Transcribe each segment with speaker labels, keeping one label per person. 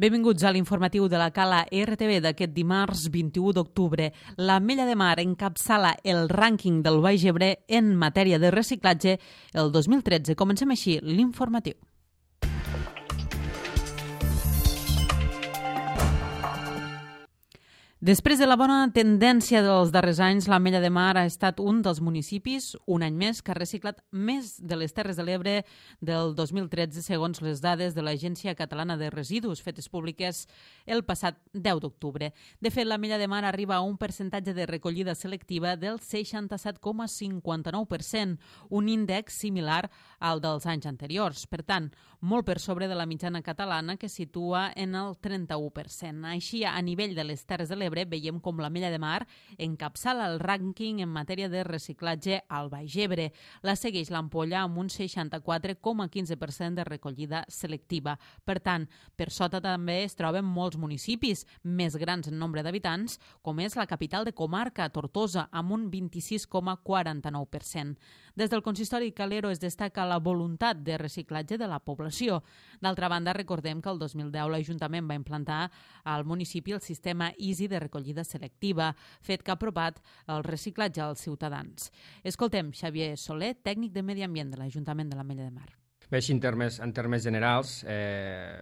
Speaker 1: Benvinguts a l'informatiu de la Cala RTV d'aquest dimarts 21 d'octubre. L'Ametlla de Mar encapçala el rànquing del Baix Ebre en matèria de reciclatge el 2013. Comencem així l'informatiu. Després de la bona tendència dels darrers anys, l'Ametlla de Mar ha estat un dels municipis, un any més, que ha reciclat més de les Terres de l'Ebre del 2013, segons les dades de l'Agència Catalana de Residus, fetes públiques el passat 10 d'octubre. De fet, l'Ametlla de Mar arriba a un percentatge de recollida selectiva del 67,59%, un índex similar al dels anys anteriors. Per tant, molt per sobre de la mitjana catalana, que situa en el 31%. Així, a nivell de les Terres de l'Ebre, veiem com l'Ametlla de Mar encapçala el rànquing en matèria de reciclatge al Baix Ebre. La segueix l'Ampolla amb un 64,15% de recollida selectiva. Per tant, per sota també es troben molts municipis més grans en nombre d'habitants, com és la capital de comarca, Tortosa, amb un 26,49%. Des del consistori Calero es destaca la voluntat de reciclatge de la població. D'altra banda, recordem que el 2010 l'Ajuntament va implantar al municipi el sistema Easy de recollida selectiva, fet que ha apropat el reciclatge als ciutadans. Escoltem Xavier Soler, tècnic de Medi Ambient de l'Ajuntament de l'Ametlla de Mar.
Speaker 2: Bé, així en termes generals,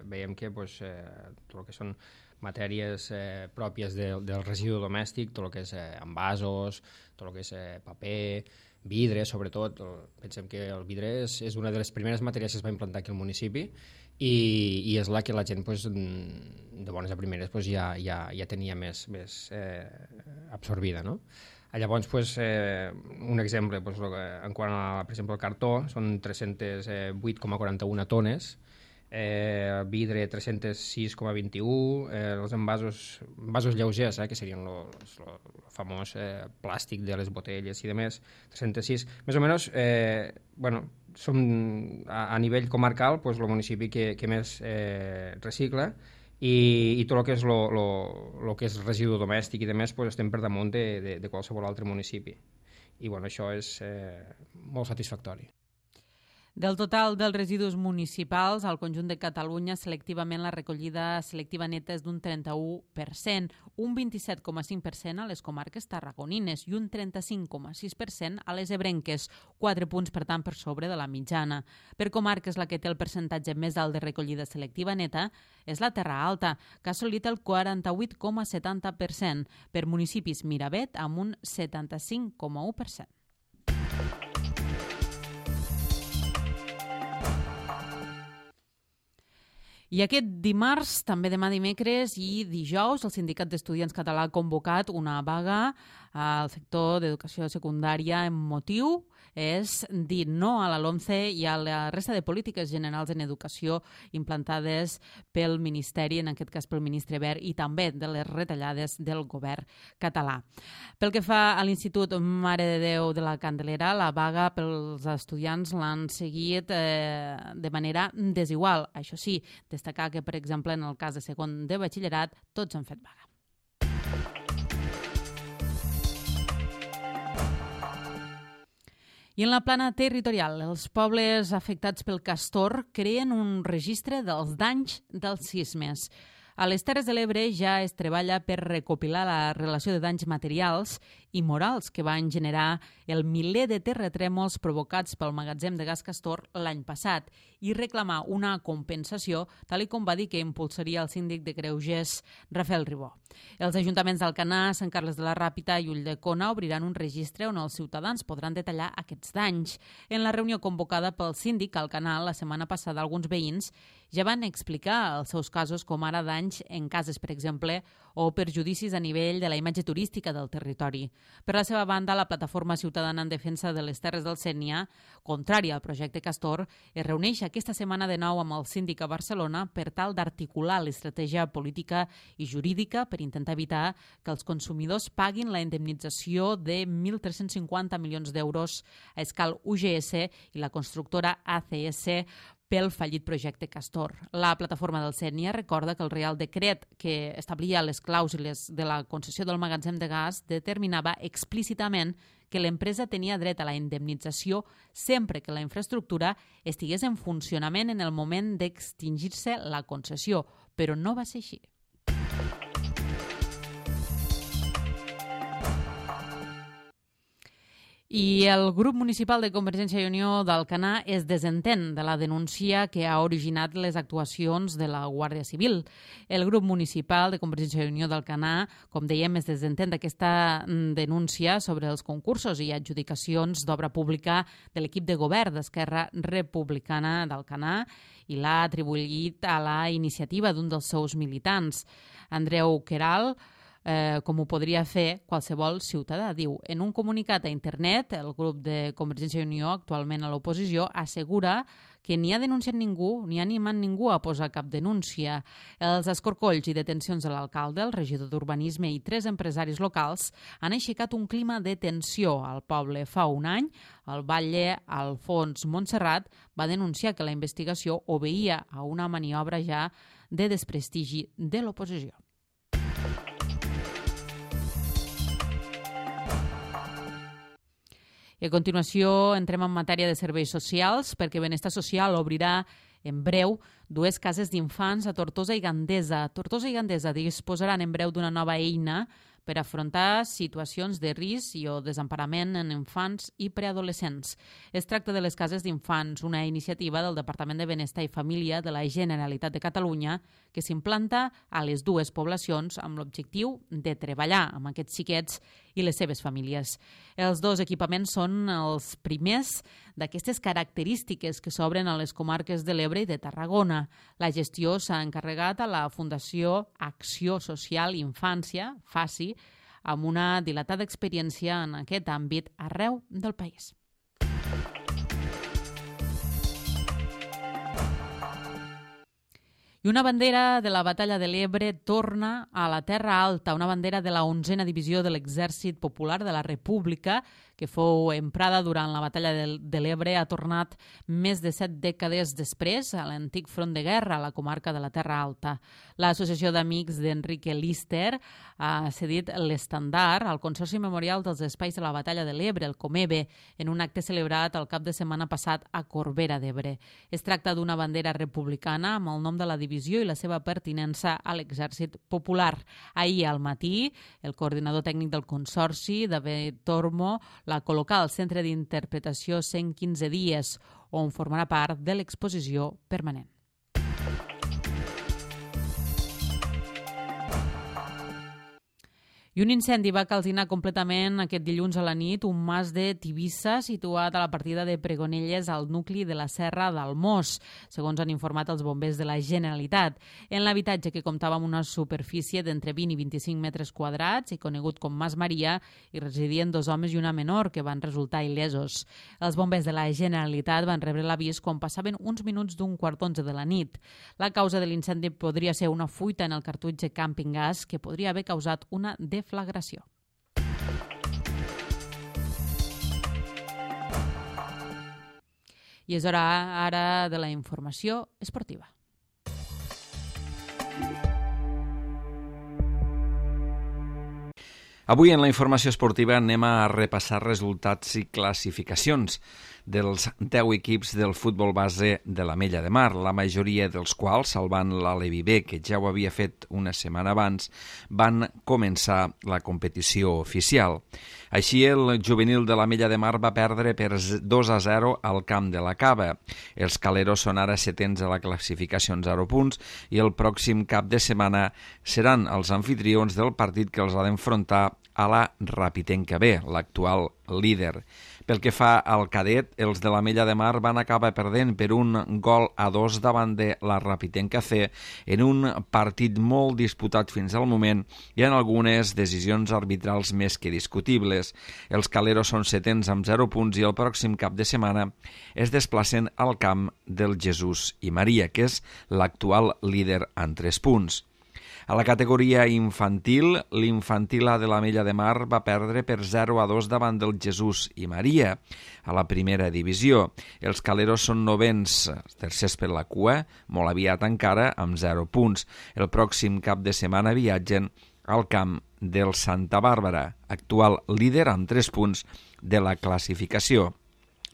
Speaker 2: veiem que tot el que són matèries pròpies del residu domèstic, tot el que és envasos, tot el que és paper, vidre, sobretot. Pensem que el vidre és una de les primeres matèries que es va implantar aquí al municipi i és la que la gent, de bones a primeres, ja tenia més absorbida, no? Llavors, un exemple, en quant a, per exemple, el cartó, són 308,41 tones, vidre 306,21, els envasos lleugers, que serien el famós plàstic de les botelles i demés, 306. Més o menys, som a nivell comarcal el municipi que més recicla i tot el que és el que és residu domèstic i demés estem per damunt de qualsevol altre municipi. I això és molt satisfactori.
Speaker 1: Del total dels residus municipals, al conjunt de Catalunya, selectivament la recollida selectiva neta és d'un 31%, un 27,5% a les comarques tarragonines i un 35,6% a les ebrenques, 4 punts, per tant, per sobre de la mitjana. Per comarques, la que té el percentatge més alt de recollida selectiva neta és la Terra Alta, que ha assolit el 48,70%, per municipis Miravet amb un 75,1%. I aquest dimarts, també demà dimecres i dijous, el Sindicat d'Estudiants Català ha convocat una vaga al sector d'educació secundària amb motiu és dir no a la LOMCE i a la resta de polítiques generals en educació implantades pel Ministeri, en aquest cas pel ministre Wert, i també de les retallades del govern català. Pel que fa a l'Institut Mare de Déu de la Candelera, la vaga pels estudiants l'han seguit de manera desigual. Això sí, destacar que, per exemple, en el cas de segon de batxillerat, tots han fet vaga. I en la plana territorial, els pobles afectats pel castor creen un registre dels danys dels sismes. A les Terres de l'Ebre ja es treballa per recopilar la relació de danys materials i morals que van generar el miler de terratrèmols provocats pel magatzem de gas Castor l'any passat i reclamar una compensació, tal com va dir que impulsaria el síndic de Greuges, Rafael Ribó. Els ajuntaments d'Alcanar, Sant Carles de la Ràpita i Ulldecona obriran un registre on els ciutadans podran detallar aquests danys. En la reunió convocada pel síndic al canal la setmana passada, alguns veïns ja van explicar els seus casos, com ara danys en cases, per exemple, o perjudicis a nivell de la imatge turística del territori. Per la seva banda, la Plataforma Ciutadana en Defensa de les Terres del Sénia, contrària al projecte Castor, es reuneix aquesta setmana de nou amb el síndic a Barcelona per tal d'articular l'estratègia política i jurídica per intentar evitar que els consumidors paguin la indemnització de 1.350 milions d'euros a escal UGS i la constructora ACS pel fallit projecte Castor. La plataforma del Sénia recorda que el Reial Decret que establia les clàusules de la concessió del magatzem de gas determinava explícitament que l'empresa tenia dret a la indemnització sempre que la infraestructura estigués en funcionament en el moment d'extingir-se la concessió, però no va ser així. I el grup municipal de Convergència i Unió d'Alcanar es desentén de la denúncia que ha originat les actuacions de la Guàrdia Civil. El grup municipal de Convergència i Unió d'Alcanar, com dèiem, es desentén d'aquesta denúncia sobre els concursos i adjudicacions d'obra pública de l'equip de govern d'Esquerra Republicana d'Alcanar i l'ha atribuït a la iniciativa d'un dels seus militants, Andreu Queralt, com ho podria fer qualsevol ciutadà. Diu, en un comunicat a internet, el grup de Convergència i Unió, actualment a l'oposició, assegura que ni ha denunciat ningú, ni ha animat ningú a posar cap denúncia. Els escorcolls i detencions de l'alcalde, el regidor d'Urbanisme i 3 empresaris locals han aixecat un clima de tensió al poble. Fa un any, el batlle Alfons Montserrat va denunciar que la investigació obeïa a una maniobra ja de desprestigi de l'oposició. I a continuació entrem en matèria de serveis socials perquè Benestar Social obrirà en breu 2 cases d'infants a Tortosa i Gandesa. Tortosa i Gandesa disposaran en breu d'una nova eina per afrontar situacions de risc i o desemparament en infants i preadolescents. Es tracta de les cases d'infants, una iniciativa del Departament de Benestar i Família de la Generalitat de Catalunya que s'implanta a les 2 poblacions amb l'objectiu de treballar amb aquests xiquets i les seves famílies. Els 2 equipaments són els primers d'aquestes característiques que s'obren a les comarques de l'Ebre i de Tarragona. La gestió s'ha encarregat a la Fundació Acció Social Infància, FACI, amb una dilatada experiència en aquest àmbit arreu del país. I una bandera de la Batalla de l'Ebre torna a la Terra Alta, una bandera de la 11a Divisió de l'Exèrcit Popular de la República, que fou emprada durant la Batalla de l'Ebre, ha tornat més de 7 dècades després a l'antic front de guerra a la comarca de la Terra Alta. L'Associació d'Amics d'Enrique Lister ha cedit l'estandard al Consorci Memorial dels Espais de la Batalla de l'Ebre, el Comebe, en un acte celebrat el cap de setmana passat a Corbera d'Ebre. Es tracta d'una bandera republicana amb el nom de la divisió i la seva pertinença a l'Exèrcit Popular. Ahir al matí, el coordinador tècnic del Consorci, David Tormo, la col·locà al Centre d'Interpretació 115 dies, on formarà part de l'exposició permanent. I un incendi va calcinar completament aquest dilluns a la nit un mas de Tivissa situat a la partida de Pregonelles al nucli de la Serra d'Almós, segons han informat els bombers de la Generalitat. En l'habitatge, que comptava amb una superfície d'entre 20 i 25 metres quadrats i conegut com Mas Maria, hi residien 2 homes i una menor que van resultar il·lesos. Els bombers de la Generalitat van rebre l'avís quan passaven uns minuts d'un 11:15 de la nit. La causa de l'incendi podria ser una fuita en el cartutx de càmping gas que podria haver causat una deflagració. I és hora ara de la informació esportiva.
Speaker 3: Avui en la informació esportiva anem a repassar resultats i classificacions dels 10 equips del futbol base de l'Ametlla de Mar, la majoria dels quals, salvant l'Alevi B, que ja ho havia fet una setmana abans, van començar la competició oficial. Així, el juvenil de l'Ametlla de Mar va perdre per 2-0 al camp de la Cava. Els caleros són ara 7ens a la classificació amb 0 punts i el pròxim cap de setmana seran els anfitrions del partit que els ha d'enfrontar a la Rapitenca B, l'actual líder. Pel que fa al cadet, els de l'Ametlla de Mar van acabar perdent per 1-2 davant de la Rapitenca C en un partit molt disputat fins al moment i en algunes decisions arbitrals més que discutibles. Els caleros són 7ens amb 0 punts i el pròxim cap de setmana es desplacen al camp del Jesús i Maria, que és l'actual líder amb 3 punts. A la categoria infantil, l'infantil A de l'Ametlla de Mar va perdre per 0-2 davant del Jesús i Maria. A la primera divisió, els Caleros són novens, tercers per la cua, molt aviat encara, amb 0 punts. El pròxim cap de setmana viatgen al camp del Santa Bàrbara, actual líder amb 3 punts de la classificació.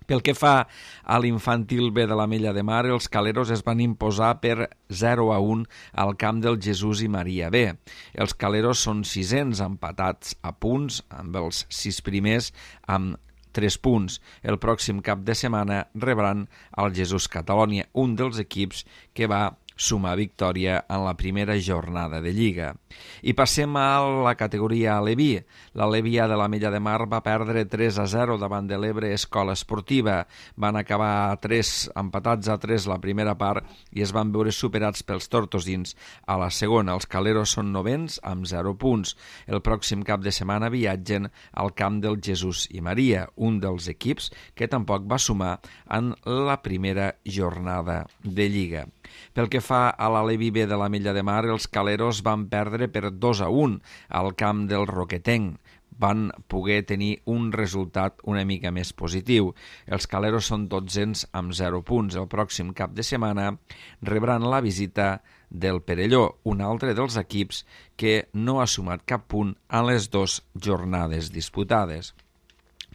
Speaker 3: Pel que fa a l'infantil B de l'Ametlla de Mar, els Caleros es van imposar per 0-1 al camp del Jesús i Maria B. Els Caleros són sisens empatats a punts, amb els 6 primers amb 3 punts. El pròxim cap de setmana rebran el Jesús Catalònia, un dels equips que va sumar victòria en la primera jornada de Lliga. I passem a la categoria Aleví. L'Aleví A de l'Ametlla de Mar va perdre 3-0 davant de l'Ebre Escola Esportiva. Van acabar empatats a 3 la primera part i es van veure superats pels tortosins a la segona. Els Caleros són novens amb 0 punts. El pròxim cap de setmana viatgen al camp del Jesús i Maria, un dels equips que tampoc va sumar en la primera jornada de Lliga. Pel que fa a l'Aleví B de l'Ametlla de Mar, els Caleros van perdre per 2-1 al camp del Roquetenc. Van poder tenir un resultat una mica més positiu. Els Caleros són dotzens amb 0 punts. El pròxim cap de setmana rebran la visita del Perelló, un altre dels equips que no ha sumat cap punt en les 2 jornades disputades.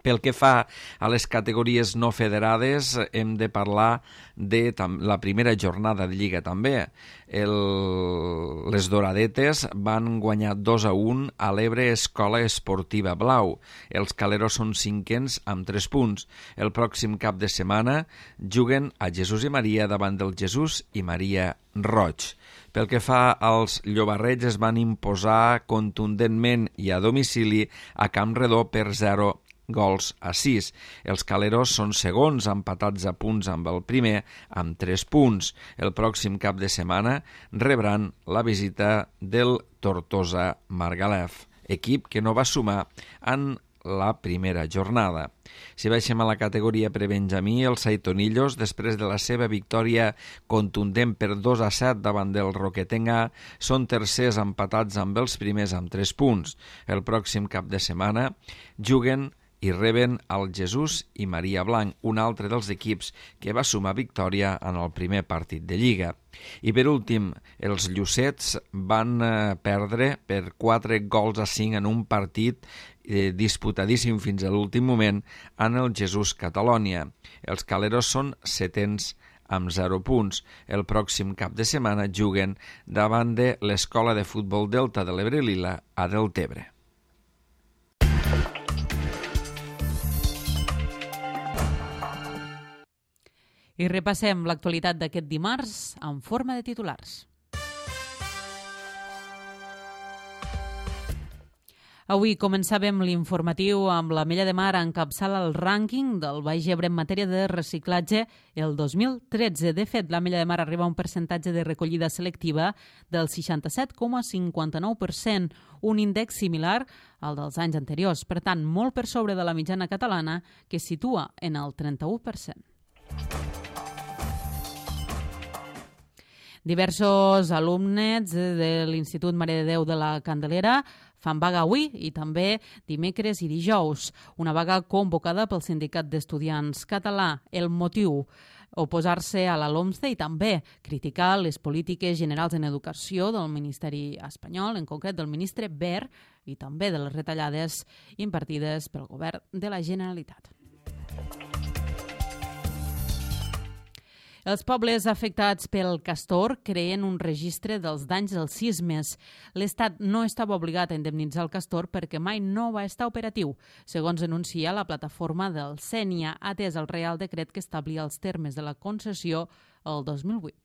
Speaker 3: Pel que fa a les categories no federades, hem de parlar de la primera jornada de Lliga també. Les Doradetes van guanyar 2-1 a l'Ebre Escola Esportiva Blau. Els Caleros són cinquens amb 3 punts. El pròxim cap de setmana juguen a Jesús i Maria davant del Jesús i Maria Roig. Pel que fa als llobarrets, es van imposar contundentment i a domicili a Camp Redó per 0-6. Els Caleros són segons, empatats a punts amb el primer, amb 3 punts. El pròxim cap de setmana rebran la visita del Tortosa Margalef, equip que no va sumar en la primera jornada. Si baixem a la categoria prebenjamí, els Saitonillos, després de la seva victòria contundent per 2-7 davant del Roquetenc A, són tercers empatats amb els primers amb 3 punts. El pròxim cap de setmana juguen i reben el Jesús i Maria Blanc, un altre dels equips que va sumar victòria en el primer partit de Lliga. I per últim, els Llucets van perdre per 4-5 en un partit disputadíssim fins a l'últim moment en el Jesús Catalònia. Els Caleros són setens amb 0 punts. El pròxim cap de setmana juguen davant de l'Escola de Futbol Delta de l'Ebre Lila a Deltebre.
Speaker 1: I repassem l'actualitat d'aquest dimarts en forma de titulars. Avui començàvem l'informatiu amb l'Ametlla de Mar encapçala el rànquing del Baix Ebre en matèria de reciclatge el 2013. De fet, l'Ametlla de Mar arriba a un percentatge de recollida selectiva del 67,59%, un índex similar al dels anys anteriors, per tant, molt per sobre de la mitjana catalana, que es situa en el 31%. Diversos alumnes de l'Institut Mare de Déu de la Candelera fan vaga avui i també dimecres i dijous. Una vaga convocada pel Sindicat d'Estudiants Català. El motiu, oposar-se a la LOMCE i també criticar les polítiques generals en educació del Ministeri espanyol, en concret del ministre Wert, i també de les retallades impartides pel govern de la Generalitat. Els pobles afectats pel castor creen un registre dels danys dels sismes. L'Estat no estava obligat a indemnitzar el castor perquè mai no va estar operatiu, segons denuncia la plataforma del Sénia, atès el Reial Decret que establia els termes de la concessió el 2008.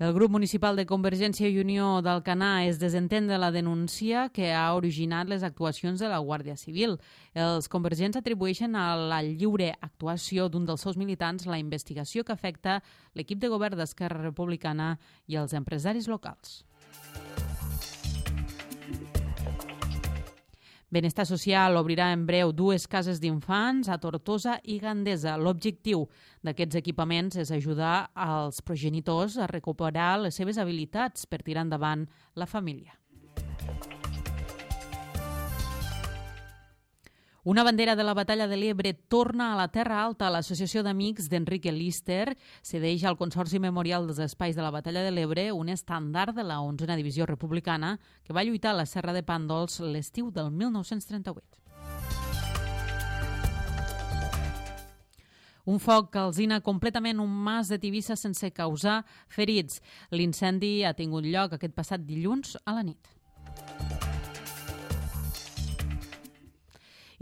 Speaker 1: El grup municipal de Convergència i Unió d'Alcanar es desentén de la denúncia que ha originat les actuacions de la Guàrdia Civil. Els convergents atribueixen a la lliure actuació d'un dels seus militants la investigació que afecta l'equip de govern d'Esquerra Republicana i els empresaris locals. Benestar Social obrirà en breu 2 cases d'infants a Tortosa i Gandesa. L'objectiu d'aquests equipaments és ajudar als progenitors a recuperar les seves habilitats per tirar endavant la família. Una bandera de la Batalla de l'Ebre torna a la Terra Alta. L'Associació d'Amics d'Enrique Lister cedeix al Consorci Memorial dels Espais de la Batalla de l'Ebre un estàndard de la 11a Divisió Republicana que va lluitar a la Serra de Pàndols l'estiu del 1938. Un foc calcina completament un mas de Tivissa sense causar ferits. L'incendi ha tingut lloc aquest passat dilluns a la nit.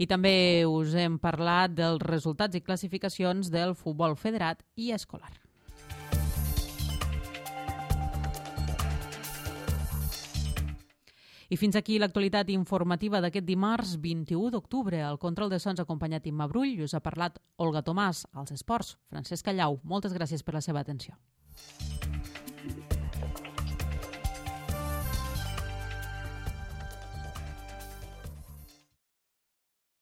Speaker 1: I també us hem parlat dels resultats i classificacions del futbol federat i escolar. I fins aquí l'actualitat informativa d'aquest dimarts 21 d'octubre. Al control de sons acompanyat Imma Brull i us ha parlat Olga Tomàs. Als esports, Francesc Callau. Moltes gràcies per la seva atenció.